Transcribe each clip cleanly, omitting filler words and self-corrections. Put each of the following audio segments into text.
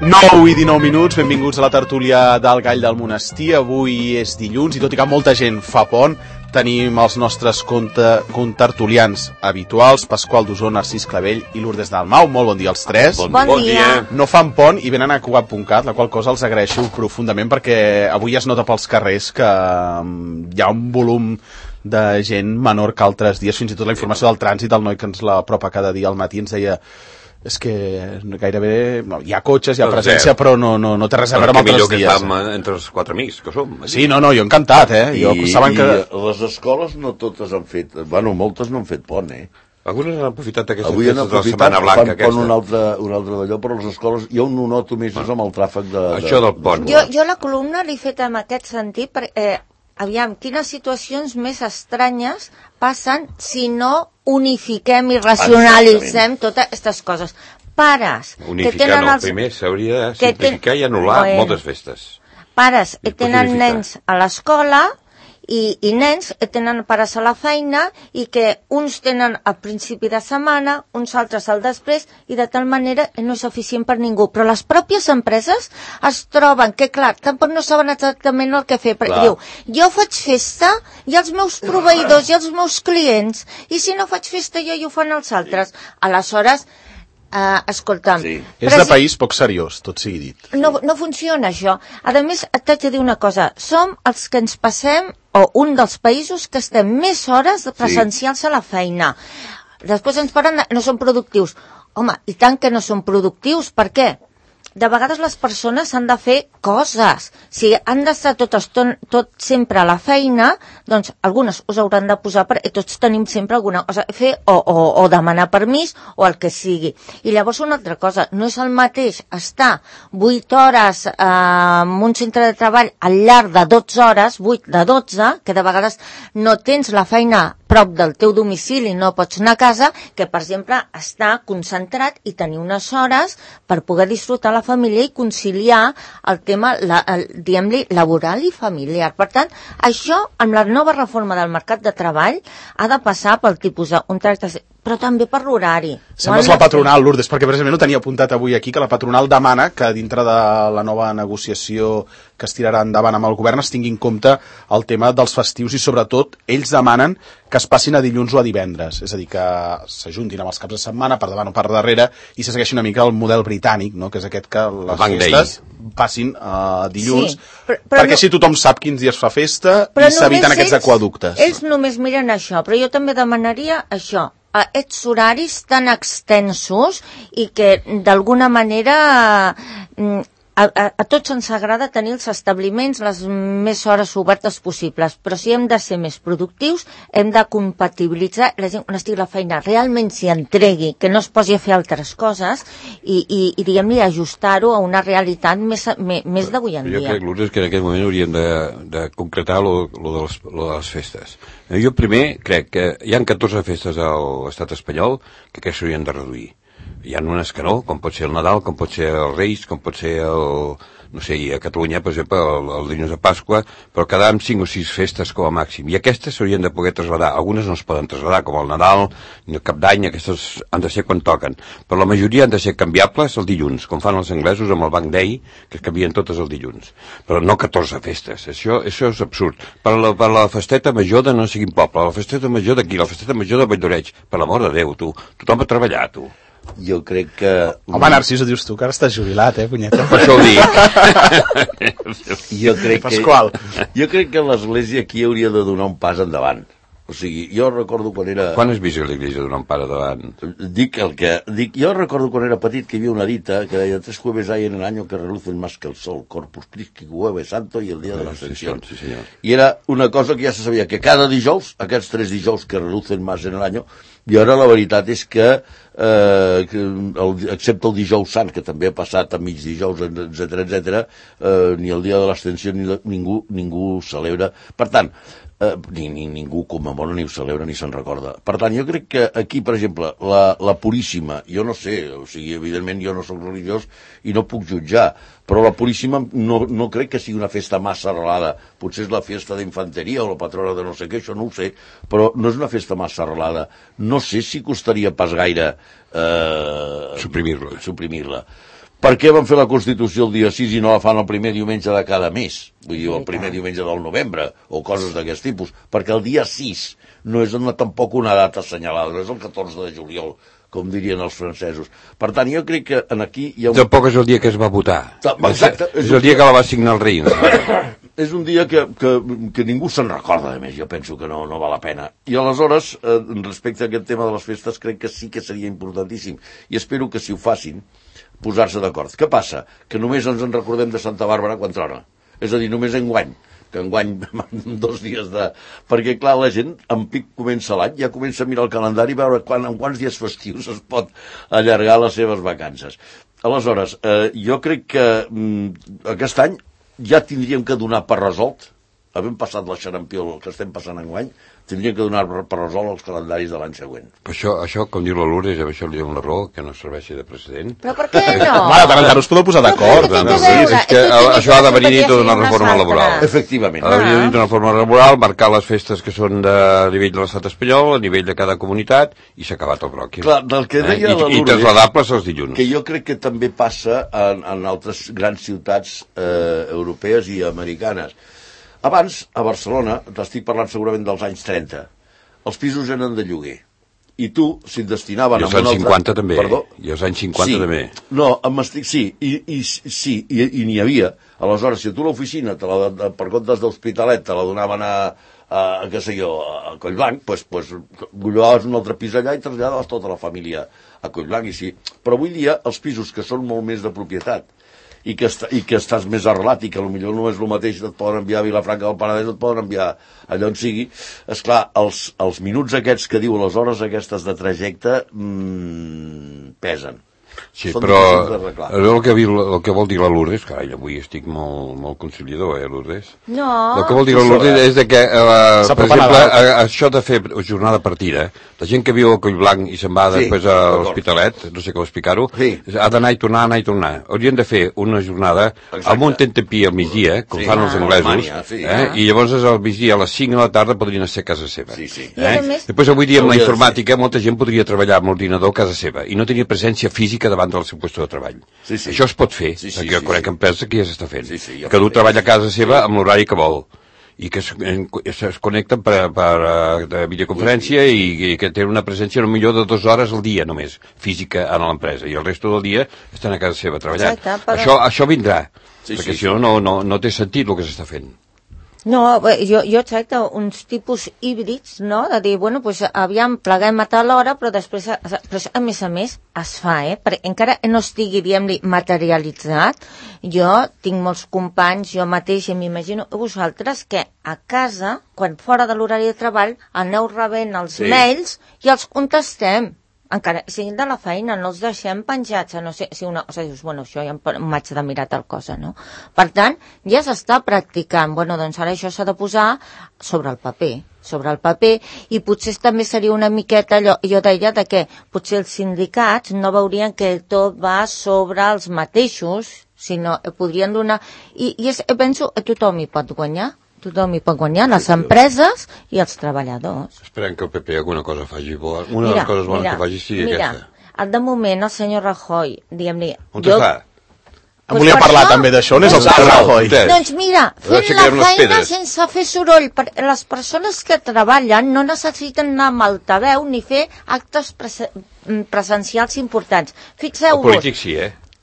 9 i 19 minuts, benvinguts a la tertúlia del Gall del Monestir. Avui és dilluns i tot i que molta gent fa pont, tenim els nostres contertulians habituals, Pasqual Dusó, Narcís Clavell i Lourdes Dalmau. Molt bon dia als tres. Bon dia. No fan pont i venen a Cugat.cat, la qual cosa els agraeixo profundament perquè avui es nota pels carrers que hi ha un volum de gent menor que altres dies. Fins i tot la informació del trànsit, el noi que ens l'apropa cada dia al matí ens deia és que gairebé hi ha cotxes, hi ha presència, però no té res a veure amb altres dies. Que millor que fam entre els quatre amics que som. Sí, jo encantat, Jo, saben que les escoles no totes han fet, moltes no han fet pont, Algunes han aprofitat aquestes avui han festes de la Setmana Blanca aquesta. Un altre d'allò, però les escoles jo ho noto més amb el tràfic de... Això del pont. Jo la columna l'he fet en aquest sentit perquè, aviam, quines situacions més estranyes passen si no unifiquem i racionalitzem totes aquestes coses. Pares unificar que tenen primer s'hauria de simplificar i anul·lar moltes festes. Pares que tenen nens a l'escola i nens que tenen pares a la feina i que uns tenen al principi de setmana, uns altres al després, i de tal manera no és eficient per ningú. Però les pròpies empreses es troben que, clar, tampoc no saben exactament el que fer, perquè diu, jo faig festa i els meus proveïdors i els meus clients, i si no faig festa jo i ho fan els altres. Aleshores, escolta'm... Sí. És de país poc seriós, tot sigui dit. No funciona això. A més, t'haig de dir una cosa. Som els que ens passem, o un dels països que estem més hores presencials a la feina. Després ens parlen no són productius. Home, i tant que no són productius. Per què? De vegades les persones han de fer coses. Si han d'estar tot sempre a la feina, doncs algunes us hauran de posar, perquè tots tenim sempre alguna cosa a fer, o demanar permís, o el que sigui. I llavors una altra cosa, no és el mateix estar 8 hores en un centre de treball al llarg de 12 hores, 8 de 12, que de vegades no tens la feina prop del teu domicili, no pots anar a casa, que per exemple estar concentrat i tenir unes hores per poder disfrutar la família i conciliar el tema, diguem-li, laboral i familiar. Per tant, això, amb la nova reforma del mercat de treball, ha de passar pel tipus d'un tracte, però també per l'horari. Sembles la patronal, Lourdes, perquè precisament ho tenia apuntat avui aquí, que la patronal demana que dintre de la nova negociació que es tirarà endavant amb el govern es tingui en compte el tema dels festius i sobretot ells demanen que es passin a dilluns o a divendres, és a dir, que s'ajuntin amb els caps de setmana per davant o per darrere i se segueixi una mica el model britànic, no? Que és aquest que les festes passin a dilluns, perquè si tothom sap quins dies fa festa i s'eviten aquests aquaductes. Ells només miren això, però jo també demanaria això, aquests horaris tan extensos i que d'alguna manera a tots ens agrada tenir els establiments les més hores obertes possibles, però si hem de ser més productius hem de compatibilitzar la gent quan estigui a la feina realment s'hi entregui, que no es posi a fer altres coses i diguem-li ajustar-ho a una realitat més d'avui en dia. Jo crec, Lourdes, que en aquest moment hauríem de concretar lo de les festes. Jo primer crec que hi ha 14 festes a l'estat espanyol que aquests s'haurien de reduir. Hi ha unes que no, com pot ser el Nadal, com pot ser els Reis, com pot ser no sé, a Catalunya, per exemple, el dilluns de Pasqua, però quedar amb 5 o 6 festes com a màxim. I aquestes s'haurien de poder traslladar. Algunes no es poden traslladar, com el Nadal, ni el Cap d'Any, aquestes han de ser quan toquen. Però la majoria han de ser canviables el dilluns, com fan els anglesos amb el Bank Day, que es canvien totes el dilluns. Però no 14 festes, això és absurd. Per la festeta major de no sé quin poble, la festeta major d'aquí, la festeta major de Valldoreig, per l'amor de Déu, tu. Tothom a treballar, tu. Jo crec que... Home, Narcís, ho dius tu, que ara estàs jubilat, punyeta? Per això ho dic. Jo crec que l'Església aquí hauria de donar un pas endavant. O sigui, jo recordo quan era... Quan has vist l'Església donar un pas endavant? Jo recordo quan era petit que hi havia una dita que deia 3 jueves hay en el año que relucen más que el sol, Corpus Christi, Jueves Santo i el dia de la Ascensión. Sí, senyor. I era una cosa que ja se sabia, que cada dijous, aquests 3 dijous que relucen más en l'any, i ara la veritat és que excepte el dijous sant, que també ha passat a mig dijous, etc, ni el dia de l'Ascensió ningú celebra. Per tant, ningú commemora, ni ho celebra, ni se'n recorda. Per tant, jo crec que aquí, per exemple, la Puríssima, jo no sé, o sigui, evidentment jo no soc religiós i no puc jutjar, però la Puríssima no crec que sigui una festa massa arrelada. Potser és la festa d'infanteria o la patrona de no sé què, això no ho sé, però no és una festa massa arrelada. No sé si costaria pas gaire suprimir-la. Per què van fer la Constitució el dia 6 i no la fan el primer diumenge de cada mes? Vull dir, el primer diumenge del novembre, o coses d'aquest tipus. Perquè el dia 6 no és tampoc una data assenyalada, no és el 14 de juliol, com dirien els francesos. Per tant, jo crec que aquí hi ha un... Tampoc és el dia que es va votar. Exacte. És el dia que la va signar el rei. És un dia que ningú se'n recorda, a més, jo penso que no val la pena. I aleshores, respecte a aquest tema de les festes, crec que sí que seria importantíssim, i espero que si ho facin, posar-se d'acord. Què passa? Que només ens en recordem de Santa Bàrbara quan trona. És a dir, només enguany, que enguany 2 dies de... Perquè, clar, la gent en pic comença l'any, ja comença a mirar el calendari i veure en quants dies festius es pot allargar les seves vacances. Aleshores, jo crec que aquest any ja tindríem que donar per resolt, havent passat la xarampió que estem passant enguany, tindríem que donar per resolt els calendaris de l'any següent. Però això, com diu la Lourdes, això li dono la raó, que no serveixi de precedent. Però per què no? Home, tant us podeu posar d'acord. És que això ha de venir dintre d'una reforma laboral. Efectivament. Ha de venir dintre d'una reforma laboral, marcar les festes que són a nivell de l'estat espanyol, a nivell de cada comunitat, i s'ha acabat el bròquil. Clar, del que deia la Lourdes... I trasladables els dilluns. Que jo crec que també passa en altres grans ciutats europees i americanes. Abans, a Barcelona, t'estic parlant segurament dels anys 30, els pisos eren de lloguer. I tu, si et destinaven... I els anys 50 també. Perdó? I els anys 50 també. No, i n'hi havia. Aleshores, si a tu l'oficina, per comptes d'Hospitalet, te la donaven què sé jo, a Collblanc, doncs llogaves un altre pis allà i traslladaves tota la família a Collblanc. Però avui dia, els pisos que són molt més de propietat, i que estàs més arrelat i que potser no és el mateix, et poden enviar a Vilafranca del Penedès, et poden enviar allà on sigui. Esclar, els minuts aquests que diu, les hores aquestes de trajecte, pesen. Sí, però el que vol dir la Lourdes, carai, avui estic molt conciliador, Lourdes? No. El que vol dir la Lourdes és que, per exemple, això de fer jornada partida, la gent que viu a Collblanc i se'n va després a l'Hospitalet, no sé com explicar-ho, ha d'anar i tornar. Haurien de fer una jornada amb un tentempié al migdia, com fan els anglesos, i llavors al migdia a les 5 de la tarda podrien ser a casa seva. Després, avui dia, amb la informàtica, molta gent podria treballar amb l'ordinador a casa seva i no tenir presència física davant del seu lloc de treball. Això es pot fer, perquè jo conec empreses que ja s'està fent. Que du treballa a casa seva amb l'horari que vol i que es connecten per videoconferència i que tenen una presència no millor de 2 hores al dia només, física en l'empresa, i el resto del dia estan a casa seva treballant. Això vindrà, perquè si no, no té sentit el que s'està fent. No, jo tracto uns tipus híbrids, no?, de dir, bueno, doncs aviam, pleguem a tal hora, però després, a més es fa, perquè encara no estigui, diguem-li, materialitzat. Jo tinc molts companys, jo mateix, i m'imagino vosaltres, que a casa, quan fora de l'horari de treball, aneu rebent els mails i els contestem. Encara siguin de la feina, no els deixem penjats, no sé, si una cosa dius, bueno, això ja m'haig de mirar tal cosa, no? Per tant, ja s'està practicant, bueno, doncs ara això s'ha de posar sobre el paper, i potser també seria una miqueta allò, jo deia de que potser els sindicats no veurien que tot va sobre els mateixos, sinó podrien donar, i penso, tothom hi pot guanyar, les empreses i els treballadors. Esperem que el PP alguna cosa faci bona. Una de les coses bones que faci sigui aquesta. De moment, el senyor Rajoy, diguem-li... On està? Em volia parlar també d'això, on és el senyor Rajoy? Doncs mira, fent la feina sense fer soroll. Les persones que treballen no necessiten anar amb altaveu ni fer actes presencials importants. Fixeu-vos... El polític sí,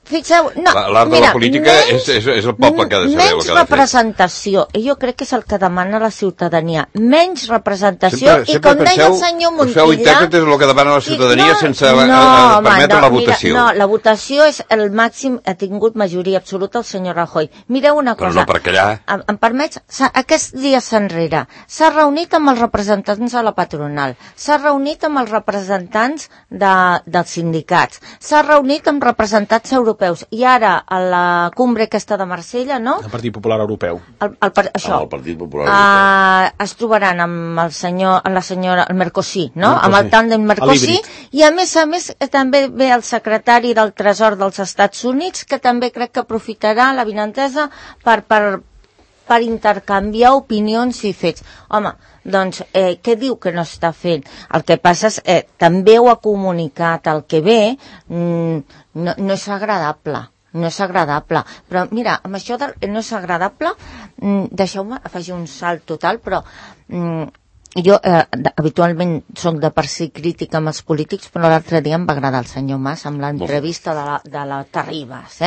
l'art de la política és el poble que ha de saber el que ha de fer. Menys representació, i jo crec que és el que demana la ciutadania. Menys representació, i com deia el senyor Montilla... Feu intèrpretes el que demana la ciutadania sense permetre la votació. No, la votació és el màxim, ha tingut majoria absoluta el senyor Rajoy. Mireu una cosa... Però no per callar. Em permets? Aquests dies enrere s'ha reunit amb els representants de la patronal, s'ha reunit amb els representants dels sindicats, s'ha reunit amb representants europeus, i ara a la cumbre aquesta de Marsella, no? El Partit Popular Europeu. El Partit Popular Europeu. Es trobaran amb el Mercosí, no? Amb el tàndem Mercosí, i a més també ve el secretari del Tresor dels Estats Units, que també crec que aprofitarà la vinentesa per intercanviar opinions i fets. Home, doncs, què diu que no està fent? El que passa és també ho ha comunicat, el que ve no és agradable. no és agradable. Però mira, amb això no és agradable, deixeu-me afegir un salt total, però jo habitualment soc de per si crítica amb els polítics, però l'altre dia em va agradar el senyor Mas amb l'entrevista de la Terribas,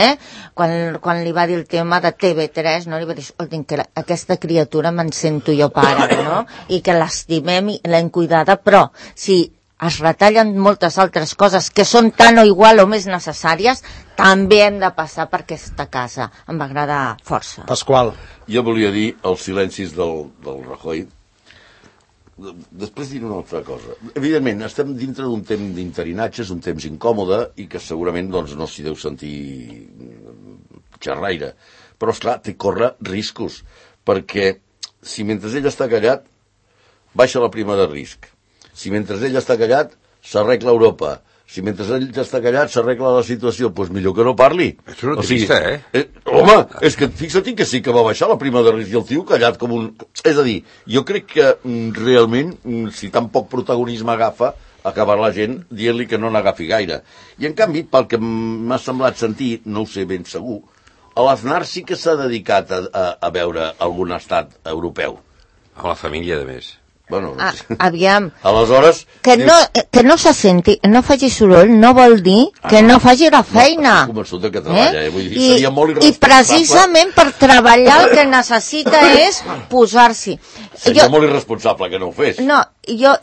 quan li va dir el tema de TV3, no? Li va dir, escolti'm, que aquesta criatura me'n sento jo pare, no? I que l'estimem i l'hem cuidada, però si es retallen moltes altres coses que són tan o igual o més necessàries, també hem de passar per aquesta casa. Em va agradar força. Pasqual. Jo volia dir els silencis del Rajoy. Després diré una altra cosa. Evidentment, estem dintre d'un temps d'interinatge, és un temps incòmode i que segurament no s'hi deu sentir xerraire. Però, esclar, té córrer riscos, perquè si mentre ell està callat, baixa la prima de risc. Si mentre ell està callat, s'arregla Europa. Si mentre ell està callat s'arregla la situació, doncs millor que no parli. És una trista, Home, és que fixa't que sí que va baixar la prima de risc i el tio callat com un... És a dir, jo crec que realment, si tan poc protagonisme agafa, acabar la gent dient-li que no n'agafi gaire. I en canvi, pel que m'ha semblat sentir, no ho sé ben segur, l'Aznar sí que s'ha dedicat a veure algun estat europeu. A la família, de més. Bueno, aviam. Aleshores... Que no se senti, no faci soroll, no vol dir que no faci la feina. Estic convençut que treballa, vull dir, seria molt irresponsable. I precisament per treballar el que necessita és posar-s'hi. Seria molt irresponsable que no ho fes. No, jo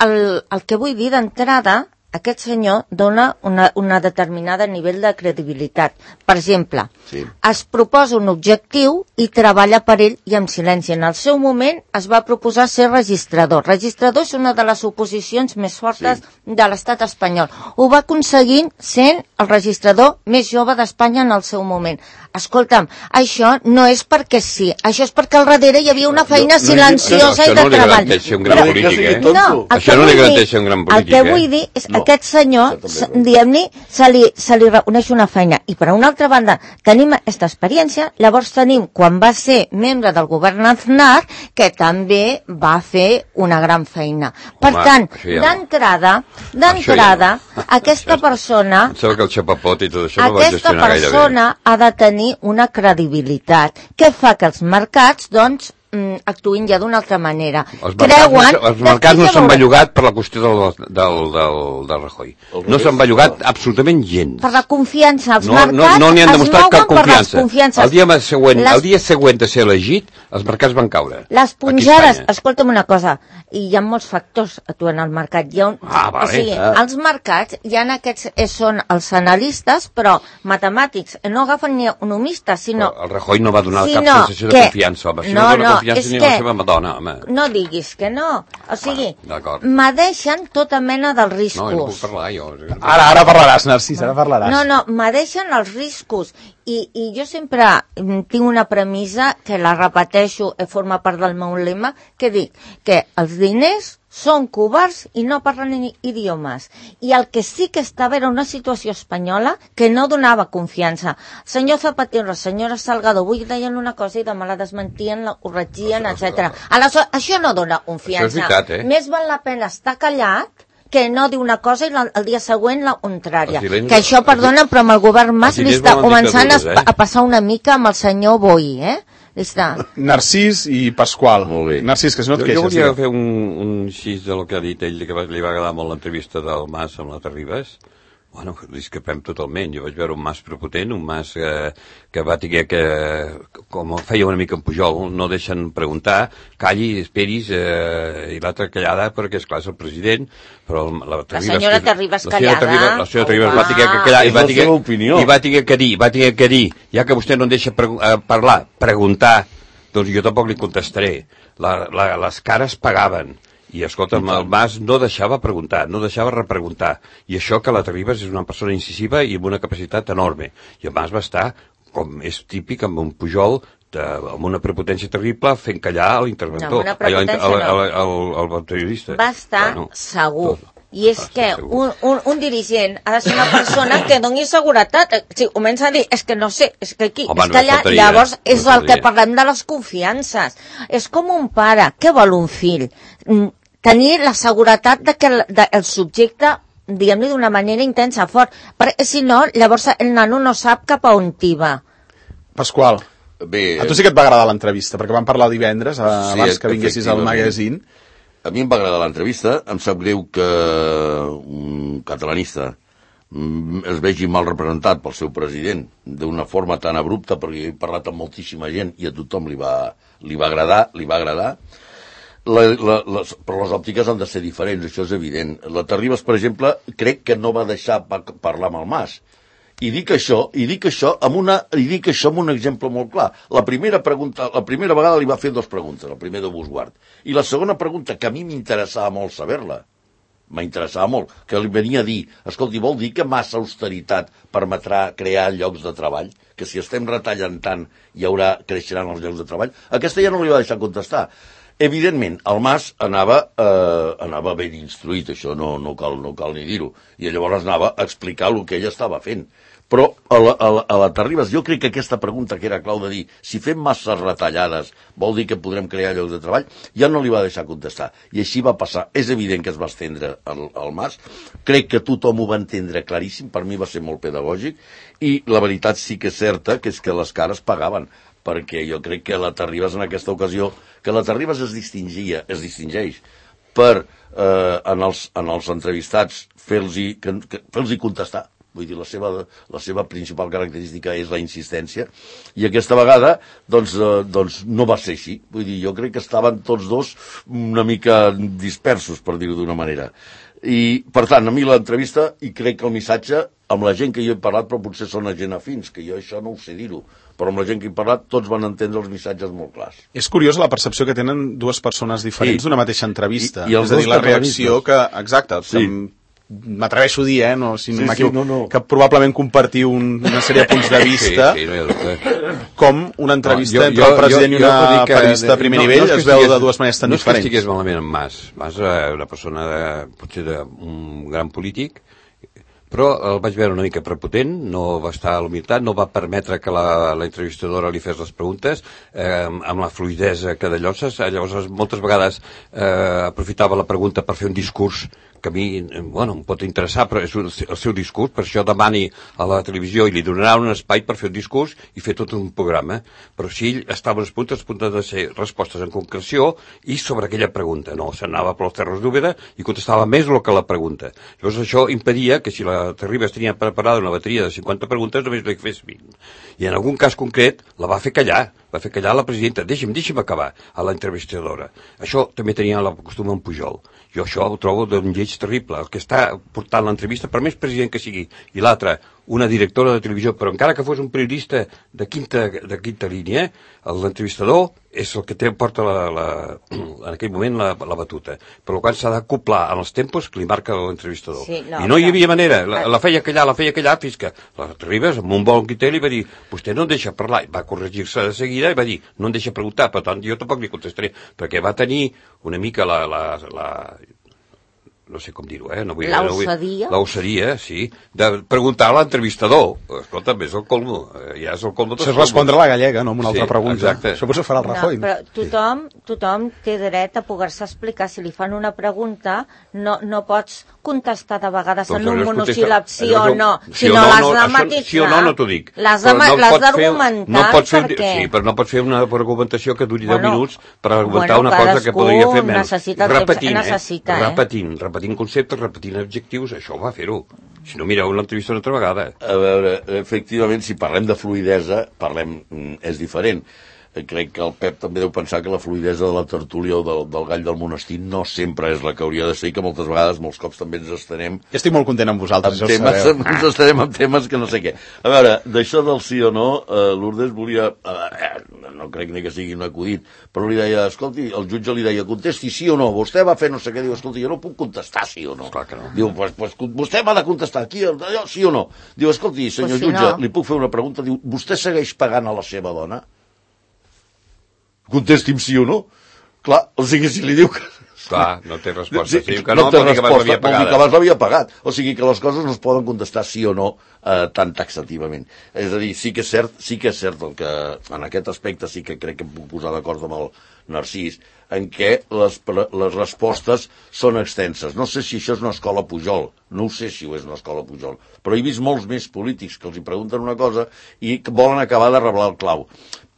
el que vull dir d'entrada, aquest senyor dona una determinada nivell de credibilitat. Per exemple, es proposa un objectiu i treballa per ell i amb silenci. En el seu moment es va proposar ser registrador. Registrador és una de les oposicions més fortes de l'estat espanyol. Ho va aconseguir sent el registrador més jove d'Espanya en el seu moment. Escolta'm, això no és perquè sí, això és perquè al darrere hi havia una feina silenciosa i de treball. Això no li garanteix un gran polític, El que vull dir és aquest senyor, diguem-ne, se li reconeix una feina. I per una altra banda, tenim aquesta experiència, llavors tenim quan va ser membre del govern Aznar, que també va fer una gran feina. Per tant, d'entrada, aquesta persona... Em sembla que el xapapot i tot això no va gestionar gaire bé. Aquesta persona ha de tenir una credibilitat que fa que els mercats, doncs, actuïn ja d'una altra manera. Els mercats no s'han bellugat per la qüestió del Rajoy. No s'han bellugat absolutament gens. Per la confiança. Els mercats no n'hi han demostrat cap confiança. El dia següent de ser elegit, els mercats van caure. Les punjades, escolta'm una cosa, hi ha molts factors actuant al mercat. O sigui, els mercats, hi ha aquests, són els analistes, però matemàtics, no agafen ni economistes, sinó... El Rajoy no va donar cap sensació de confiança, home. És que no diguis que no. O sigui, m'adeixen tota mena dels riscos. No puc parlar jo. Ara parlaràs, Narcís, ara parlaràs. No, m'adeixen els riscos. I jo sempre tinc una premissa que la repeteixo, forma part del meu lema, que dic que els diners són covards i no parlen idiomes. I el que sí que estava era una situació espanyola que no donava confiança. El senyor Zapatero, la senyora Salgado, avui deien una cosa i demà la desmentien, la corregien, etc. Aleshores, això no dona confiança. Això és veritat, Més val la pena estar callat que no diu una cosa i el dia següent la contrària. Que això, perdona, però amb el govern Mas li està començant a passar una mica amb el senyor Boi, Narcís i Pasqual. Narcís, que si no et queixes. Jo volia fer un xís de lo que ha dit ell, que li va agradar molt l'entrevista del Mas amb la Terribas. Bueno, discrepem totalment. Jo vaig veure un Mas prepotent, un Mas que va tenir que, com feia una mica en Pujol, no deixen preguntar, calli, esperis, i l'altra callada, perquè esclar és el president, però la senyora Terribas callada. La senyora Terribas va tenir que callar i va tenir que dir, ja que vostè no em deixa parlar, preguntar, doncs jo tampoc li contestaré. Les cares pagaven. I, escolta'm, el Mas no deixava preguntar, no deixava repreguntar. I això que la Terribas és una persona incisiva i amb una capacitat enorme. I el Mas va estar, com és típic, amb un Pujol, amb una prepotència terrible, fent callar l'interventor. No, amb una prepotència el periodista. Va estar segur. I és que un dirigent ha de ser una persona que doni seguretat. Si comença a dir, és que no sé, és que aquí, és que allà, llavors és el que parlem de les confiances. És com un pare, què vol un fill? Tenir la seguretat de que el subjecte diguem-li d'una manera intensa, fort, perquè si no, llavors el nano no sap cap a on va. Pasqual, Bé, a tu sí que et va agradar l'entrevista, perquè vam parlar divendres, abans que vinguessis al magazine. A mi em va agradar l'entrevista, em sap greu que un catalanista es vegi mal representat pel seu president d'una forma tan abrupta, perquè he parlat amb moltíssima gent i a tothom li va agradar. Però les òptiques han de ser diferents, això és evident. La Terribas, per exemple, crec que no va deixar parlar amb el Mas. I dic això amb un exemple molt clar. La primera vegada li va fer 2 preguntes, el primer de Busguard. I la segona pregunta, que a mi m'interessava molt saber-la, que li venia a dir, escolti, vol dir que massa austeritat permetrà crear llocs de treball? Que si estem retallant tant creixeran els llocs de treball? Aquesta ja no li va deixar contestar. Evidentment, el Mas anava ben instruït, això no cal ni dir-ho, i llavors anava a explicar el que ell estava fent. Però a la Terribas, jo crec que aquesta pregunta que era clau de dir si fem masses retallades vol dir que podrem crear llocs de treball, ja no li va deixar contestar. I així va passar. És evident que es va estendre el Mas. Crec que tothom ho va entendre claríssim, per mi va ser molt pedagògic, i la veritat sí que és certa, que és que les cares pagaven, perquè jo crec que la Terribas en aquesta ocasió, que la Terribas es distingeix per en els entrevistats fer-los contestar. Vull dir, la seva principal característica és la insistència, i aquesta vegada doncs no va ser així. Vull dir, jo crec que estaven tots dos una mica dispersos, per dir-ho d'una manera. I, per tant, a mi l'entrevista, i crec que el missatge, amb la gent que jo he parlat, però potser són gent afins, que jo això no ho sé dir-ho, però amb la gent que he parlat tots van entendre els missatges molt clars. És curiós la percepció que tenen dues persones diferents d'una mateixa entrevista. I és a dir, la reacció que... Exacte, sí. M'atreveixo a dir, si no m'equivoco, no. que probablement compartiu una sèrie de punts de vista, sí, no hi ha dubte. Com una entrevista entre el president i una periodista de primer nivell es veu de dues maneres tan diferents. No és que estigués malament amb Mas. Mas era una persona potser d'un gran polític, però el vaig veure una mica prepotent, no va estar a l'humilitat, no va permetre que la entrevistadora li fes les preguntes amb la fluidesa que de llosses. Llavors moltes vegades aprofitava la pregunta per fer un discurs que a mi, em pot interessar, però és el seu discurs, per això demani a la televisió i li donaran un espai per fer un discurs i fer tot un programa. Però si ell estava als punts de ser respostes en concreció i sobre aquella pregunta. No, s'anava per les terres d'Úbeda i contestava més el que la pregunta. Llavors això impedia que si la Terribas tenia preparada una bateria de 50 preguntes, només li fes 20. I en algun cas concret la va fer callar. Va fer callar la presidenta. Deixi'm acabar, a la entrevistadora. Això també tenia la costum en Pujol. Jo això ho trobo d'un lleig terrible. El que està portant l'entrevista, per més president que sigui, i l'altre, una directora de televisió, però encara que fos un periodista de quinta línia, l'entrevistador és el que porta en aquell moment la batuta. Per tant, s'ha d'acoplar en els tempos que li marca l'entrevistador. Sí, I no hi havia manera. La feia callar, fins que la Terribas, amb un bon guiter, li va dir, vostè no em deixa parlar. Va corregir-se de seguida i va dir, no em deixa preguntar, per tant, jo tampoc li contestaré, perquè va tenir una mica no sé com dir-ho, l'osadia, sí, de preguntar a l'entrevistador. Escolta'm, és el colmo, ja és el colmo. Això és respondre a la gallega, no?, amb una altra pregunta. Exacte. Això potser farà el Rajoy. No, però tothom té dret a poder-se explicar. Si li fan una pregunta, no pots contestar de vegades en un monosíl·lab sí o no, sinó l'has de matisar. Sí o no t'ho dic. L'has d'argumentar, perquè... Sí, però no pots fer una argumentació que duri 10 minuts per argumentar una cosa que podria fer menys. Repetint conceptes, repetint objectius, això va fer-ho. Si no, mireu l'entrevista una altra vegada. A veure, efectivament, si parlem de fluidesa, és diferent. Crec que el Pep també deu pensar que la fluidesa de la tertúlia o del gall del monestir no sempre és la que hauria de ser, i que moltes vegades, molts cops també ens estenem... Estic molt content amb vosaltres, ja ho sabeu. Ens estarem amb temes que no sé què. A veure, d'això del sí o no, Lourdes volia... no crec ni que sigui un acudit, però li deia, escolti, el jutge li deia, contesti sí o no, vostè va fer no sé què, diu, escolti, jo no puc contestar sí o no. Clar que no. Diu, pues vostè m'ha de contestar aquí, sí o no. Diu, escolti, senyor jutge, li puc fer una pregunta? Diu, vostè segueix pagant a la seva dona? Contesti'm sí o no. Clar, o sigui, si li diu Clar, no té resposta. Sí, Que no té vol dir que abans resposta, l'havia vol dir que pagada. abans l'havia pagat. O sigui que les coses no es poden contestar sí o no tan taxativament. És a dir, sí que és cert el que, en aquest aspecte sí que crec que em puc posar d'acord amb el Narcís, en què les respostes són extenses. No sé si això és una escola Pujol, no ho sé si ho és una escola Pujol, però he vist molts més polítics que els hi pregunten una cosa i que volen acabar de reblar el clau.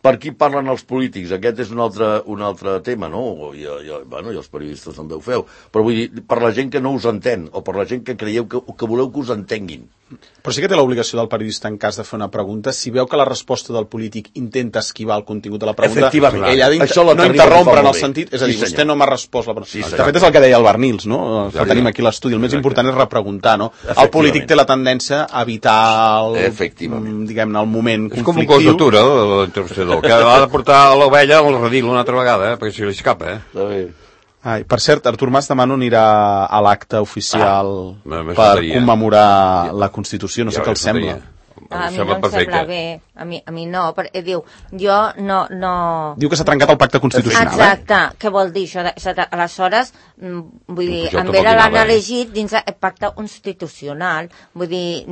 Per qui parlen els polítics? Aquest és un altre tema, no? I els periodistes també ho feu. Però vull dir, per la gent que no us entén, o per la gent que creieu que voleu que us entenguin. Però sí que té l'obligació del periodista, en cas de fer una pregunta, si veu que la resposta del polític intenta esquivar el contingut de la pregunta, Efectivament. ell ha no interrompre en el sentit, és a dir, vostè no m'ha respost la pregunta. Sí, de fet, és el que deia el Barnils, no? Que tenim aquí l'estudi. El més important és repreguntar, no? El polític té la tendència a evitar diguem-ne, el moment conflictiu. És com un cos d'atura, l'interruptador, que ha de portar l'ovella al redil una altra vegada, perquè si li escapa, Ai, per cert, Artur Mas demà no anirà a l'acte oficial per commemorar la Constitució, no sé què els sembla. A mi no em sembla bé, a mi no, perquè diu, jo no... Diu que s'ha trencat el pacte constitucional, Exacte, què vol dir això? Aleshores, vull dir, en Vera l'han elegit dins el pacte constitucional, vull dir,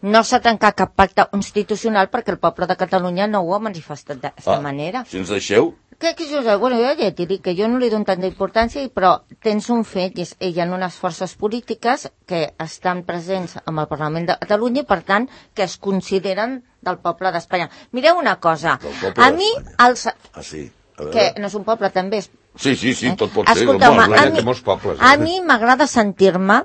no s'ha trencat cap pacte constitucional perquè el poble de Catalunya no ho ha manifestat d'aquesta manera. Si ens deixeu... Bueno, jo ja t'he dit que jo no li dono tanta importància, però tens un fet, i hi ha unes forces polítiques que estan presents en el Parlament de Catalunya i, per tant, que es consideren del poble d'Espanya. Mireu una cosa, a mi... Que no és un poble, també és... Sí, tot pot ser. Escolta'm, a mi m'agrada sentir-me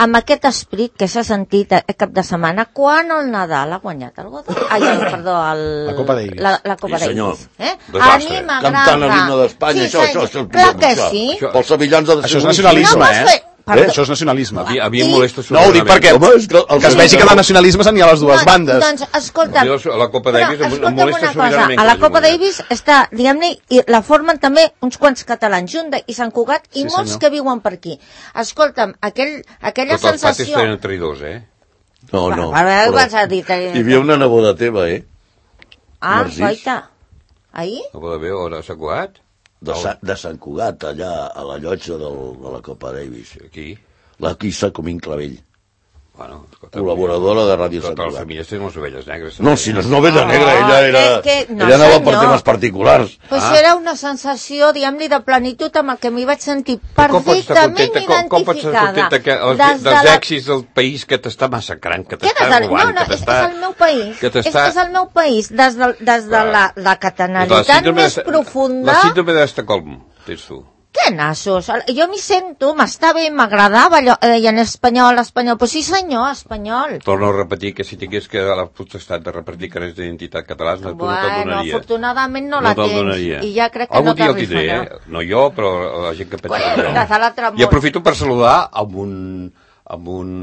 amb aquest esperit que s'ha sentit aquest cap de setmana quan el Nadal ha guanyat el Godó. La Copa Davis. La Copa Davis. A mi m'agrada. Cantant l'himne d'Espanya, això. Clar que sí. Pels sevillans ha de ser... Això és nacionalisme, Això és nacionalisme. A mi em molesta... No, ho dic perquè que es vegi que de nacionalisme n'hi ha a les dues bandes. Doncs, escolta'm, la Copa Davis em molesta sobiranament. A la Copa Davis està, diguem-ne, i la formen també uns quants catalans, Junta i Sant Cugat, i molts que viuen per aquí. Escolta'm, aquella sensació... Tots els patis tenen traïdors, No. Hi havia una neboda teva, Goita. Ahir? Neboda meva, a Sant Cugat? De Sant Cugat, allà a la llotja de la Copa Davis. Aquí? La Quissa Comín Clavell. Bueno, col·laboradora de Ràdio Sant Cugat. Totes les famílies tenen les ovelles negres. No, si no és ovella negra, ella anava per temes particulars. Però això era una sensació, diguem-li, de plenitud amb el que m'hi vaig sentir perfectament identificada. Com pots estar contenta dels èxits del país que t'està massacrant, que t'està robant, que t'està... És el meu país. És el meu país. Des de la catalanitat més profunda... La síndrome d'Estocolm, tens tu. Què nassos? Jo m'hi sento, m'està bé, m'agradava allò, en espanyol, però sí senyor, espanyol. Torno a repetir que si tingués que la potestat de repartir carnets d'identitat catalans, tu no te'l donaria. Afortunadament no la tens, i ja crec que no t'arribarà. No jo, però la gent que pensa que jo. I aprofito per saludar amb un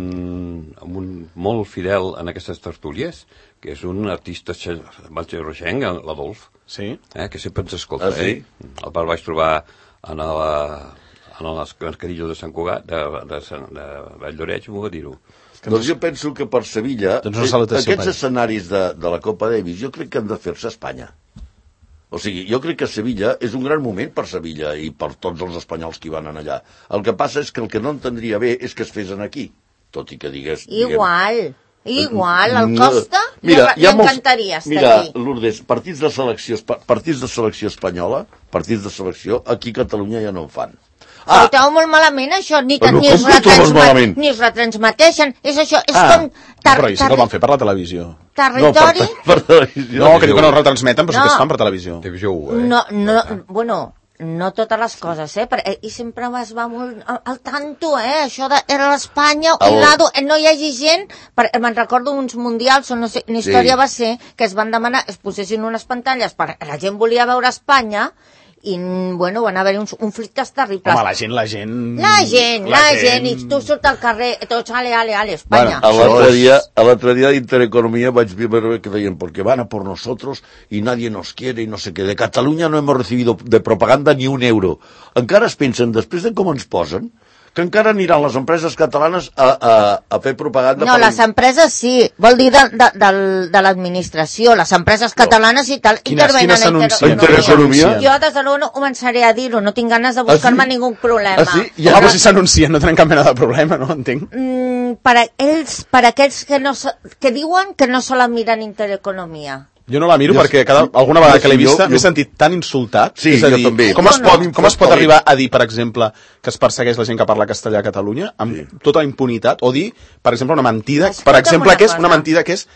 molt fidel en aquestes tertúlies, que és un artista malgerroixenc, l'Adolf, que sempre ens escolta. El vaig trobar en les cascadilles de Sant Cugat, de Valldoreix, m'ho va dir-ho. Doncs jo penso que per Sevilla, aquests escenaris de la Copa Davis, jo crec que han de fer-se a Espanya. O sigui, jo crec que Sevilla és un gran moment per Sevilla i per tots els espanyols que hi van allà. El que passa és que el que no entendria bé és que es fes aquí, tot i que digués... Igual, el Costa li encantaria estar aquí. Mira, Lourdes, partits de selecció espanyola, partits de selecció, aquí a Catalunya ja no en fan. Ho trobo molt malament, això, ni es retransmeteixen. És això, és com... Però sí que el van fer per la televisió. Territori... No, que diu que no el retransmeten, però sí que es fan per televisió. Televisió 1, bueno... No totes les coses, i sempre es va molt al tanto, això era l'Espanya, no hi hagi gent, me'n recordo uns mundials on una història va ser que es van demanar, es posessin unes pantalles, la gent volia veure Espanya, i, bueno, van haver uns conflictes terribles. Home, la gent, i tu surt al carrer, tots, ale, Espanya. A l'altre dia d'Intereconomia vaig veure que deien, porque van a por nosotros y nadie nos quiere y no sé qué. De Catalunya no hemos recibido de propaganda ni un euro. Encara es pensen, després de com ens posen, que encara aniran les empreses catalanes a fer propaganda. No, les empreses sí, vol dir de l'administració, les empreses catalanes i tal, intervenen a Intereconomia. Jo des de no començaré a dir-ho, no tinc ganes de buscar-me ningú problema. Però si s'anuncien no tenen cap mena de problema, no entenc. Per aquells que diuen que no se la miren Intereconomia. Jo no la miro perquè alguna vegada que l'he vista m'he sentit tan insultat. Sí, jo també. Com es pot arribar a dir, per exemple, que es persegueix la gent que parla castellà a Catalunya amb tota la impunitat? O dir, per exemple, una mentida, per exemple, que és una mentida que és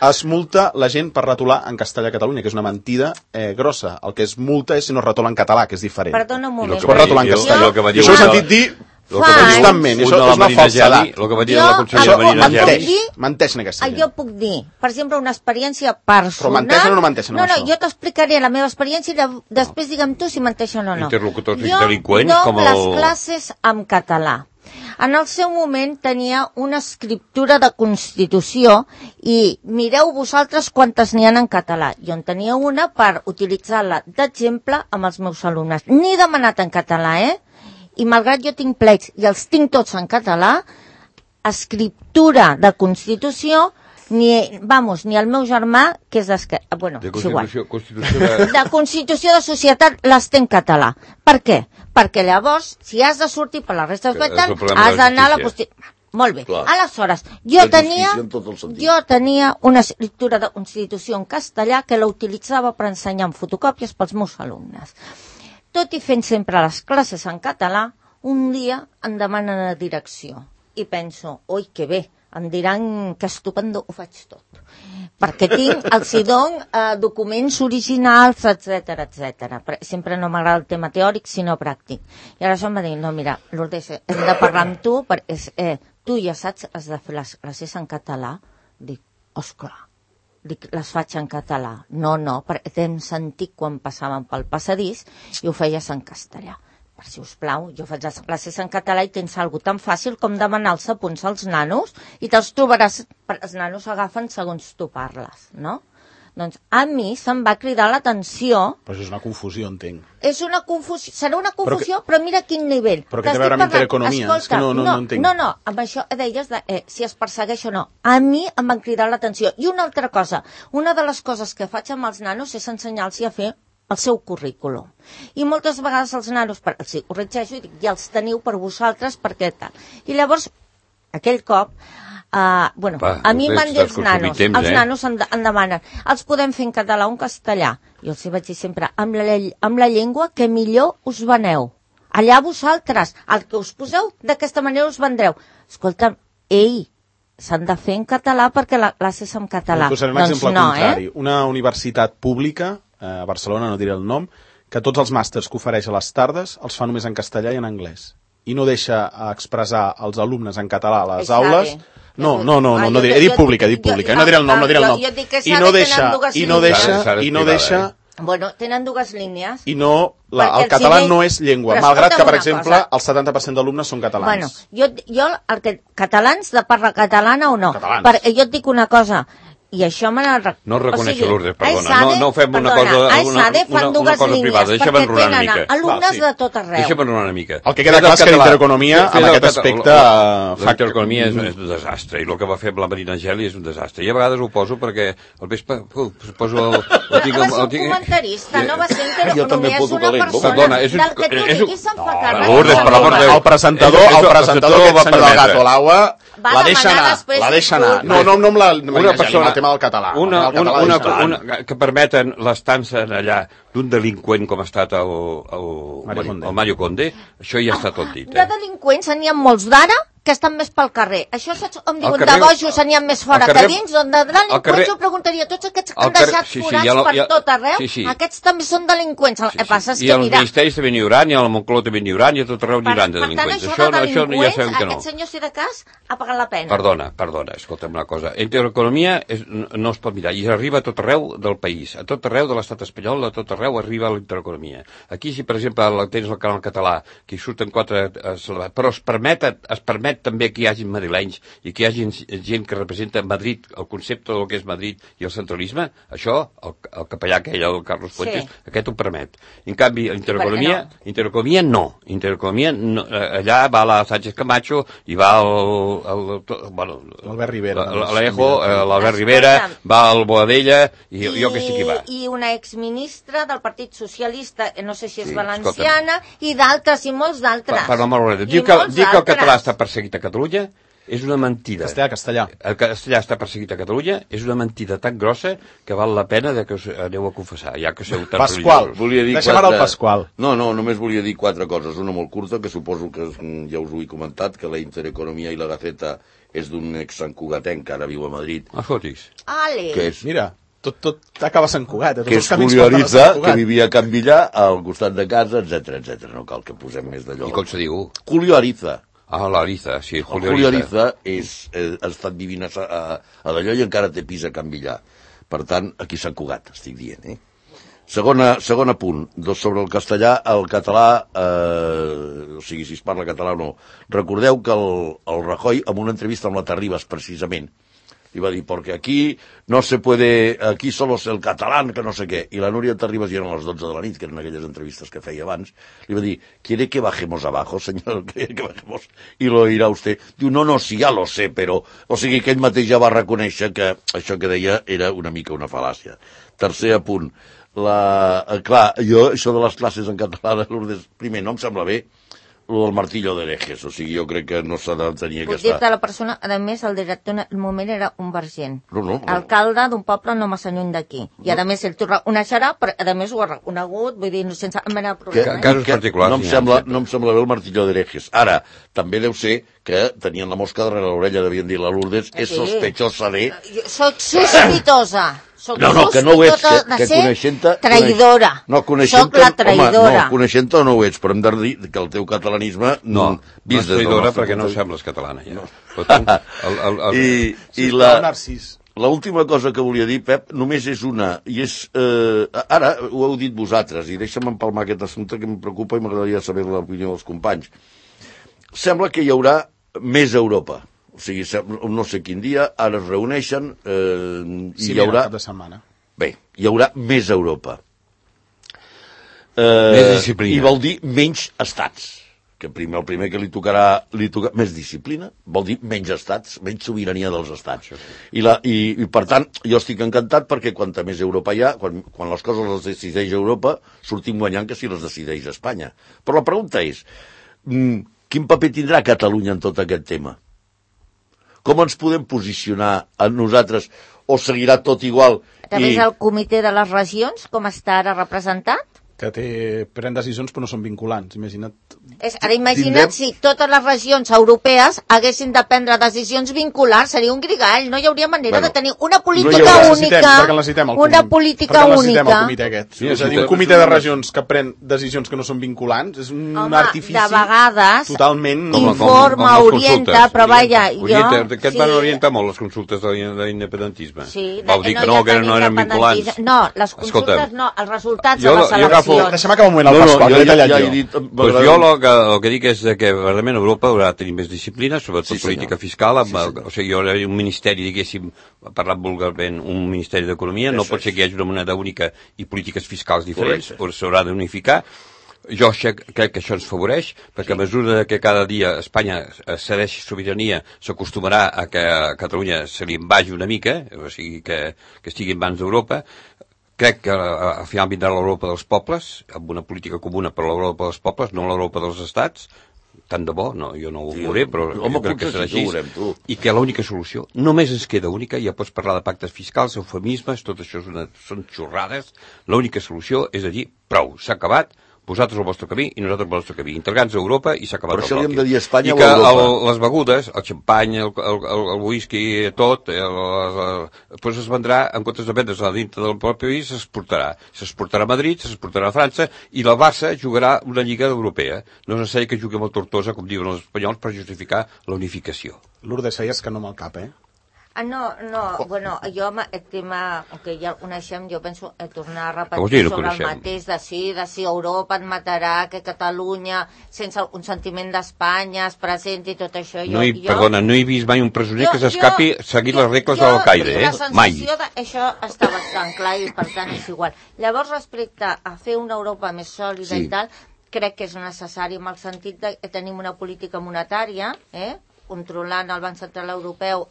es multa la gent per retolar en castellà a Catalunya, que és una mentida grossa. El que es multa és si no es retola en català, que és diferent. Perdona un moment. Es pot retolar en castellà. Jo això ho he sentit dir constantment, això és una falsedat. El que va dir la consellera Marina Geli. Menteix en aquesta gent. Jo puc dir, per exemple, una experiència personal... Però menteixen o no menteixen amb això? No, jo t'explicaré la meva experiència i després digue'm tu si menteixen o no. Interlocutors delinqüents com les classes en català. En el seu moment tenia una escriptura de Constitució i mireu vosaltres quantes n'hi ha en català. Jo en tenia una per utilitzar-la d'exemple amb els meus alumnes. N'he demanat en català, i malgrat jo tinc plecs i els tinc tots en català, escriptura de Constitució, ni el meu germà, que és d'esquerra... Bueno, és igual. De Constitució de Societat les té en català. Per què? Perquè llavors, si has de sortir per la resta de has d'anar a la Molt bé. Clar. Aleshores, jo tenia una escriptura de Constitució en castellà que la utilitzava per ensenyar en fotocòpies pels meus alumnes. Tot i fent sempre les classes en català, un dia em demanen la direcció. I penso, oi, que bé, em diran que estupendo ho faig tot. Perquè els dono documents originals, etc. Sempre no m'agrada el tema teòric, sinó pràctic. I aleshores em va dir, no, mira, Lourdes, hem de parlar amb tu, perquè tu ja saps, has de fer les classes en català. Dic, osclar. Dic, les faig en català. No, perquè t'hem sentit quan passàvem pel passadís i ho feies en castellà. Per si us plau, jo faig les classes en català i tens alguna tan fàcil com demanar els apunts als nanos i te'ls trobaràs, els nanos agafen segons tu parles, no? Doncs a mi se'm va cridar l'atenció... Però això és una confusió, entenc. És una confusió, serà una confusió, però mira quin nivell. Però què té a veure amb Intereconomia? És que no entenc. No, amb això deies si es persegueix o no. A mi em van cridar l'atenció. I una altra cosa, una de les coses que faig amb els nanos és ensenyar-los a fer el seu currículum. I moltes vegades els nanos, els corregeixo i dic, ja els teniu per vosaltres, perquè tal. I llavors, aquell cop... a mi m'han dit els nanos em demanen, els podem fer en català o en castellà? Jo els vaig dir sempre, amb la llengua que millor us veneu. Allà vosaltres, el que us poseu, d'aquesta manera us vendreu. Escolta'm, s'han de fer en català perquè la classe és en català. Posaré un exemple contrari. Una universitat pública, a Barcelona, no diré el nom, que tots els màsters que ofereix a les tardes els fa només en castellà i en anglès. I no deixa expressar els alumnes en català a les aules... No diré, he dit pública, no diré el nom, I no deixa... Bueno, tenen dues línies. I no, el català no és llengua, malgrat que, per exemple, el 70% d'alumnes són catalans. Bueno, catalans de parla catalana o no? Perquè jo et dic una cosa, i això me n'ha... No reconeixo Lourdes, perdona. No fem una cosa privada. Deixa'm enronar una mica. Alumnes de tot arreu. Deixa'm enronar una mica. El que queda clar és que l'Intereconomia, en aquest aspecte... L'Intereconomia és un desastre, i el que va fer amb la Marina Geli és un desastre. I a vegades ho poso perquè al vespre poso el... Va ser un comentarista, no va ser Intereconomia, és una persona del que tu diguis se'n fa càrrec. Lourdes, per l'amor de Déu. El presentador, aquest senyor del Gato Laua, la deixa anar. No amb la Marina Geli, amb el tema del català. Que permeten l'estança allà d'un delinqüent com ha estat el Mario Conde, això ja està tot dit. De delinqüents n'hi ha molts d'ara que estan més pel carrer. Això em diuen de bojos n'hi ha més fora que dins, on de delinqüents jo preguntaria, tots aquests que han deixat forats per tot arreu, aquests també són delinqüents. El que passa és que, mira... I als ministeris també n'hi haurà, i a la Moncloa també n'hi haurà, i a tot arreu n'hi haurà de delinqüents. Per tant, això ja sabem que no. Aquest senyor, si de cas, ha pagat la pena. Perdona, escolta'm una cosa. Intereconomia no es pot mirar, i arriba a tot arreu del país, a tot arreu de l'estat espanyol, a tot arreu arriba l'Intereconomia. Aquí, si per exemple tens el canal català, que hi surten 4... però es permet permet també que hi hagi madrilenys i que hi hagi gent que representa Madrid, el concepte del que és Madrid i el centralisme, això, el capellà aquell, el Carlos Fuentes, aquest ho permet. En canvi, Intereconomia no. Intereconomia no. Allà va la Sánchez Camacho i va l'Albert Rivera. L'Albert Rivera, va el Boadella i jo que sé qui va. I una exministra del Partit Socialista, no sé si és valenciana, i d'altres, i molts d'altres. Per l'amor de Déu. Dir que el català està perseguit a Catalunya és una mentida. Castellà. El castellà està perseguit a Catalunya és una mentida tan grossa que val la pena que us aneu a confessar, ja que sou tan Pasqual, deixem ara el Pasqual. No, només volia dir 4 coses. Una molt curta, que suposo que ja us ho he comentat, que la Intereconomia i la Gaceta és d'un ex-santcugatenc que ara viu a Madrid. Fotis. Que és... Mira, tot acaba Sant Cugat. Que és Julio Ariza, que vivia a Can Villar, al costat de casa, etc. No cal que posem més d'allò. I com se diu? Julio Ariza. L'Ariza, sí, Julio Ariza ha estat vivint a d'allò i encara té pis a Can Villar. Per tant, aquí s'ha cugat, estic dient. Segon punt, sobre el castellà, el català, o sigui, si es parla català o no. Recordeu que el Rajoy, en una entrevista amb la Terribas, precisament, li va dir, porque aquí no se puede, aquí solo es el catalán, que no sé què. I la Núria Terribas, ja eren les 12 de la nit, que eren aquelles entrevistes que feia abans, li va dir, ¿quiere que bajemos abajo, señor? ¿Quiere que bajemos? I lo dirà usted. Diu, no, sí, ja lo sé, però... O sigui, que ell mateix ja va reconèixer que això que deia era una mica una fal·làcia. Tercer punt. Clar, jo, això de les classes en català de Lourdes, primer, no em sembla bé, el del martillo d'herejes, o sigui, jo crec que no s'ha de tenir aquesta... Puc dir-te la persona, a més, el director en el moment era un vergent. No. Alcalde d'un poble no massa lluny d'aquí. I a més, ell t'ho reconeixerà, però a més ho ha reconegut, vull dir, sense mena de problema. Casos particulars. No em sembla bé el martillo d'herejes. Ara, també deu ser que tenien la mosca darrere l'orella, devien dir la Lourdes, és sospechosa de... Soc sospitosa. No, que no ho ets, que coneixent-te... Traïdora. Soc la traïdora. No, coneixent-te no ho ets, però hem de dir que el teu catalanisme... No és traïdora perquè no sembles catalana, ja. I l'última cosa que volia dir, Pep, només és una, i és... Ara ho heu dit vosaltres, i deixa'm empalmar aquest assumpte que em preocupa i m'agradaria saber l'opinió dels companys. Sembla que hi haurà més Europa. O sigui, no sé quin dia, ara es reuneixen i hi haurà... cap de setmana. Bé, hi haurà més Europa. Més disciplina. I vol dir menys estats. Que el primer que li tocarà més disciplina, vol dir menys estats, menys sobirania dels estats. I per tant, jo estic encantat perquè quanta més Europa hi ha, quan les coses les decideix Europa, sortim guanyant que si les decideix Espanya. Però la pregunta és, quin paper tindrà Catalunya en tot aquest tema? Com ens podem posicionar a nosaltres? O seguirà tot igual? A través del comitè de les regions, com està ara representat? Que pren decisions però no són vinculants, imagina't. Ara imagina't si totes les regions europees haguessin de prendre decisions vinculants, seria un grigall, no hi hauria manera de tenir una política única. Perquè necessitem el comitè aquest. És a dir, un comitè de regions que pren decisions que no són vinculants és un artifici de vegades totalment... informa, orienta, però vaja... Aquest van orientar molt les consultes de l'independentisme. Vau dir que no eren vinculants. No, les consultes no, els resultats de les eleccions. Deixa'm acabar un moment al Pasqual, que he tallat jo. Jo el que dic és que realment Europa haurà de tenir més disciplina, sobretot política fiscal, o sigui, hi haurà un ministeri, diguéssim, parlant vulgarment, un ministeri d'Economia, no pot ser que hi hagi una moneda única i polítiques fiscals diferents, s'haurà d'unificar. Jo crec que això ens favoreix, perquè a mesura que cada dia Espanya cedeixi sobirania, s'acostumarà a que a Catalunya se li en vagi una mica, o sigui, que estigui en mans d'Europa. Crec que al final vindrà l'Europa dels pobles, amb una política comuna per l'Europa dels pobles, no l'Europa dels estats, tant de bo, no, jo no ho veuré, però jo crec que serà així, i que l'única solució, només ens queda única, ja pots parlar de pactes fiscals, eufemismes, tot això són xorrades, l'única solució és a dir, prou, s'ha acabat, vosaltres el vostre camí i nosaltres el nostre camí. Integrants a Europa i s'ha acabat el bloc. Per això li hem de dir Espanya o Europa. I que les begudes, el xampany, el whisky, tot, doncs es vendrà, en comptes de vendre's a dintre del propi país, s'exportarà. S'exportarà a Madrid, s'exportarà a França, i la Barça jugarà una lliga europea. No és necessari que jugui amb el Tortosa, com diuen els espanyols, per justificar la unificació. Lourdes, feies que no amb el cap, eh? Bueno, jo el tema que ja el coneixem, jo penso tornar a Què vols dir, repetir no sobre el coneixem? mateix de si Europa et matarà, que Catalunya, sense un sentiment d'Espanya, es presenti i tot això. Perdona, no he vist mai un presoner que s'escapi seguint les regles de l'Al-Qaeda, mai. Això està bastant clar i per tant és igual. Llavors, respecte a fer una Europa més sòlida i tal, crec que és necessari en el sentit que tenim una política monetària, controlant el Banc Central Europeu,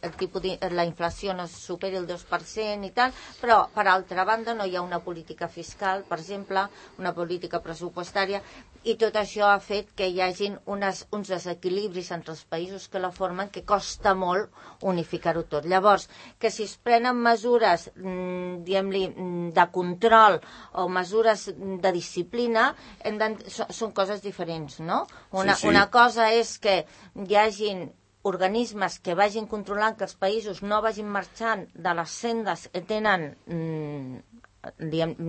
la inflació no superi el 2% i tal, però per altra banda no hi ha una política fiscal, per exemple, una política pressupostària, i tot això ha fet que hi hagin uns desequilibris entre els països que la formen que costa molt unificar-ho tot. Llavors, que si es prenen mesures, diguem-li, de control o mesures de disciplina, són coses diferents, no? Una cosa és que hi hagin organismes que vagin controlant que els països no vagin marxant de les sendes que tenen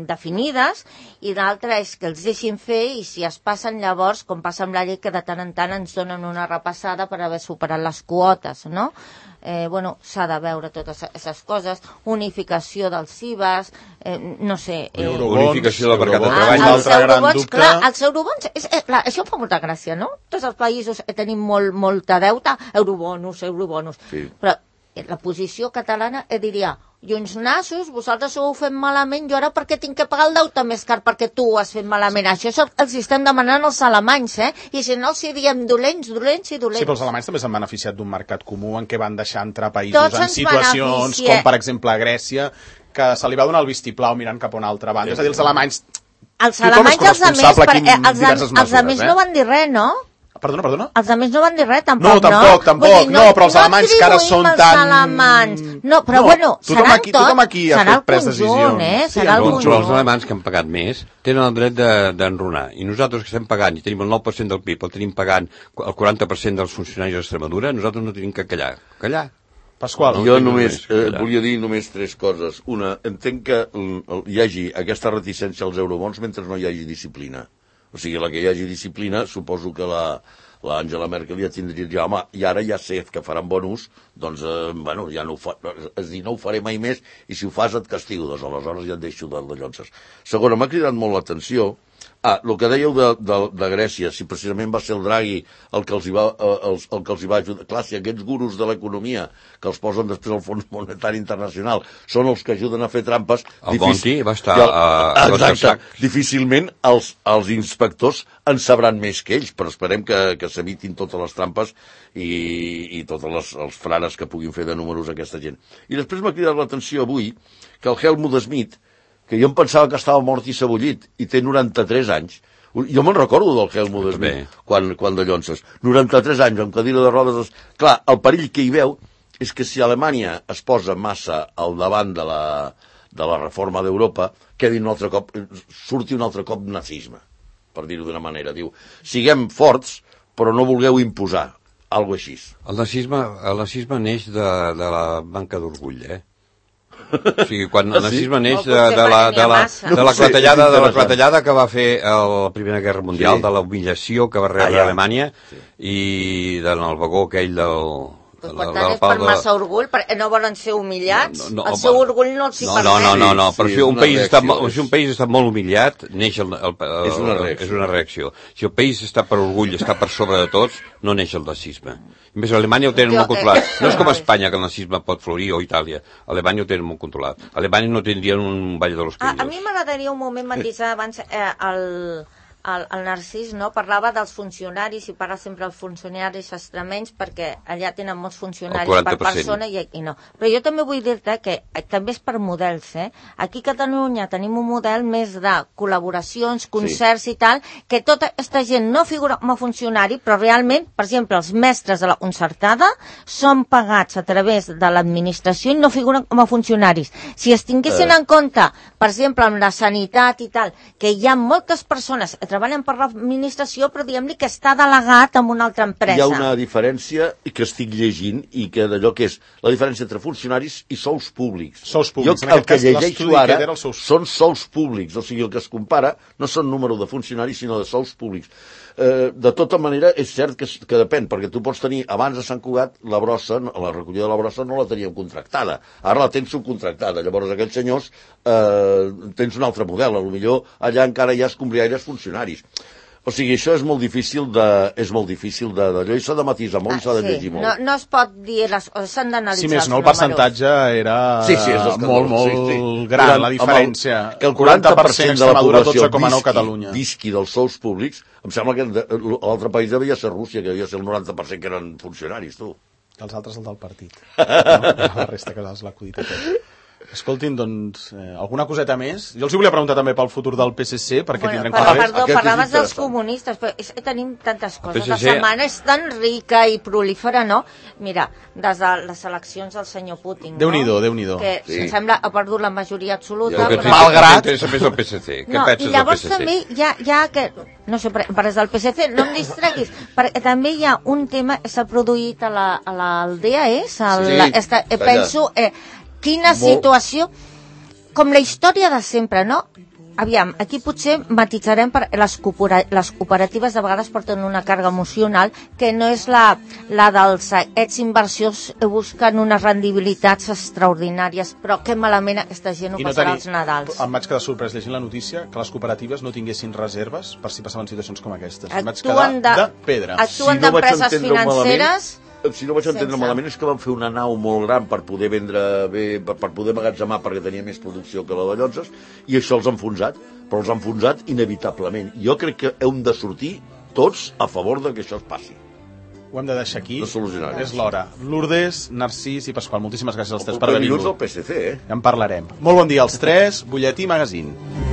definides, i l'altra és que els deixin fer, i si es passen llavors, com passa amb la llei, que de tant en tant ens donen una repassada per haver superat les quotes, no? S'ha de veure totes aquestes coses, unificació dels IVAs, no sé... Unificació del mercat de treball. Els eurobons, això em fa molta gràcia, no? Tots els països tenim molta deuta, eurobonus, però la posició catalana diria, i uns nassos, vosaltres ho heu fet malament, jo ara perquè tinc que pagar el deute més car perquè tu ho has fet malament. Això els estem demanant els alemanys, i si no els diem dolents. Sí, però els alemanys també s'han beneficiat d'un mercat comú en què van deixar entrar països en situacions com, per exemple, a Grècia, que se li va donar el vistiplau mirant cap a una altra banda. És a dir, els alemanys... Els altres no van dir res, no? Perdona? Els altres no van dir res, tampoc, no? Tampoc, però els alemanys que ara són tan... No, però bueno, serà tothom aquí ha fet pres decisions. Però els alemanys que han pagat més tenen el dret d'enrunar. I nosaltres que estem pagant, i tenim el 9% del PIB, el tenim pagant el 40% dels funcionaris d'Extremadura, nosaltres no tenim que callar. Pasqual. Jo només volia dir només 3 coses. Una, entenc que hi hagi aquesta reticència als eurobons mentre no hi hagi disciplina. O sigui, la que hi hagi disciplina, suposo que l'Angela Merkel ja tindria ja, home, i ara ja sé que faran bon ús, doncs, ja no ho fa, és dir, no ho faré mai més, i si ho fas et castigo, doncs aleshores ja et deixo de llonces. Segona, m'ha cridat molt l'atenció, el que dèieu de Grècia, si precisament va ser el Draghi el que els hi va ajudar. Clar, si aquests gurus de l'economia que els posen després al Fons Monetari Internacional són els que ajuden a fer trampes... El Monti va estar exacte, difícilment els inspectors en sabran més que ells, però esperem que s'evitin totes les trampes i tots els frares que puguin fer de números aquesta gent. I després m'ha cridat l'atenció avui que el Helmut Schmidt, que jo em pensava que estava mort i sebollit, i té 93 anys. Jo me'n recordo del Helmut Schmidt, quan de llonces. 93 anys, amb cadira de rodes... Clar, el perill que hi veu és que si Alemanya es posa massa al davant de la reforma d'Europa, surti un altre cop nazisme, per dir-ho d'una manera. Diu, siguem forts, però no vulgueu imposar, algo així. El nazisme neix de la manca d'orgull, O sigui, quan el nazisme neix de la clatellada que va fer la Primera Guerra Mundial, de l'humillació que va rebre Alemanya i del vagó aquell del... Per tant, és per massa orgull, perquè no volen ser humillats, el seu orgull no els hi permet. No, però si un país està molt humillat, neix és una reacció. Si el país està per orgull, està per sobre de tots, no neix el nazisme. A més, a Alemanya ho tenen molt controlat. No és com a Espanya, que el nazisme pot florir, o Itàlia. A Alemanya ho tenen molt controlat. A Alemanya no tindrien un ball de los pillos. A mi m'agradaria un moment matisar abans el Narcís, no? Parlava dels funcionaris i parla sempre dels funcionaris extremenys perquè allà tenen molts funcionaris per persona i aquí no. Però jo també vull dir-te que també és per models, Aquí a Catalunya tenim un model més de col·laboracions, concerts i tal, que tota aquesta gent no figura com a funcionari, però realment, per exemple, els mestres de la concertada són pagats a través de l'administració i no figuren com a funcionaris. Si es tinguessin en compte, per exemple, amb la sanitat i tal, que hi ha moltes persones que treballen per l'administració, però diguem-li que està delegat en una altra empresa. Hi ha una diferència que estic llegint i que d'allò que és la diferència entre funcionaris i sous públics. Sous públics. Jo el que llegeixo ara són sous públics, o sigui, el que es compara no són número de funcionaris, sinó de sous públics. De tota manera, és cert que depèn, perquè tu pots tenir, abans de Sant Cugat, la brossa, la recollida de la brossa no la teníem contractada. Ara la tens subcontractada. Llavors, aquells senyors tens un altre model. Potser allà encara hi ha escombriaires funcionaris. O sigui, això és molt difícil d'allò, i s'ha de matisar molt, i s'ha de llegir molt. No es pot dir, s'han d'analitzar si més no, el percentatge era molt gran, la diferència. Que el 40% de la població Catalunya visqui dels sous públics, em sembla que l'altre país devia ser Rússia, que devia ser el 90% que eren funcionaris, tu. Els altres el del partit. La resta que l'has l'acudit a tot. Escoltin, doncs, alguna coseta més? Jo els volia preguntar també pel futur del PSC, perquè tindrem coses. Perdó, parlaves dels comunistes, però tenim tantes coses. La setmana és tan rica i prolífera, no? Mira, des de les eleccions del senyor Putin, Déu-n'hi-do, Déu-n'hi-do. Que sembla ha perdut la majoria absoluta. Malgrat... M'interessa més el PSC. Què penses del PSC? I llavors també hi ha que... No sé, parles del PSC, no em distreguis, perquè també hi ha un tema que s'ha produït a l'Aldea, penso... Quina situació, com la història de sempre, no? Aviam, aquí potser matitzarem per les cooperatives de vegades porten una càrrega emocional que no és la dels inversors busquen unes rendibilitats extraordinàries, però que malament aquesta gent ho passarà als Nadals. Em vaig quedar sorprès llegint la notícia que les cooperatives no tinguessin reserves per si passaven situacions com aquestes. Em vaig quedar de pedra. Actuen d'empreses financeres... Si no vaig entendre malament, és que van fer una nau molt gran per poder vendre bé, per poder magatzemar, perquè tenia més producció que la de Llotges, i això els ha enfonsat, però els ha enfonsat inevitablement. Jo crec que hem de sortir tots a favor de que això es passi. Ho hem de deixar aquí. De solucionar. És l'hora. Lourdes, Narcís i Pasqual, moltíssimes gràcies als tres per haver vingut. El PSC, Ja en parlarem. Molt bon dia als tres, Butlletí Magazine.